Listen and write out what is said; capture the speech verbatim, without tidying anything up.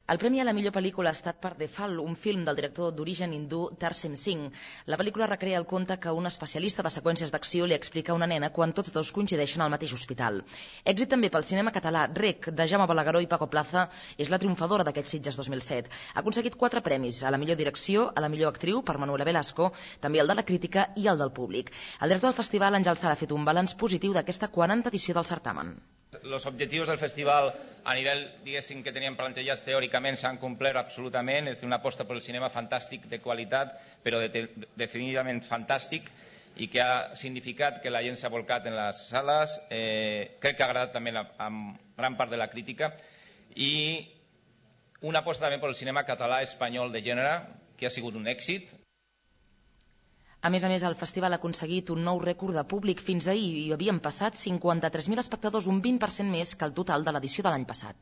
El premi a la millor pel·lícula ha estat per The Fall, un film del director d'origen hindú Tarsem Singh. La pel·lícula recrea el conte que un especialista de seqüències d'acció li explica a una nena quan tots dos coincideixen al mateix hospital. Èxit també pel cinema català. Rec, de Jaume Balagueró i Paco Plaza, és la triomfadora d'aquests Sitges dos mil set. Ha aconseguit quatre premis, a la millor direcció, a la millor actriu, per Manuela Velasco, també el de la crítica i el del públic. El director del festival, Àngel Sala, ha fet un balanç positiu d'aquesta quaranta edició del certamen. Los objetivos del festival a nivel, diguéssim, que teníem plantejats teòricament s'han complert absolutament, és una aposta per el cinema fantàstic de qualitat, però de, de, definitivament fantàstic, i que ha significat que la gent s'ha volcat en les sales, eh, crec que ha agradat també a, a gran part de la crítica, i una aposta també per el cinema català espanyol de gènere, que ha sigut un èxit. A més a més, el festival ha aconseguit un nou rècord de públic. Fins ahir hi havien passat cinquanta-tres mil espectadors, un vint per cent més que el total de l'edició de l'any passat.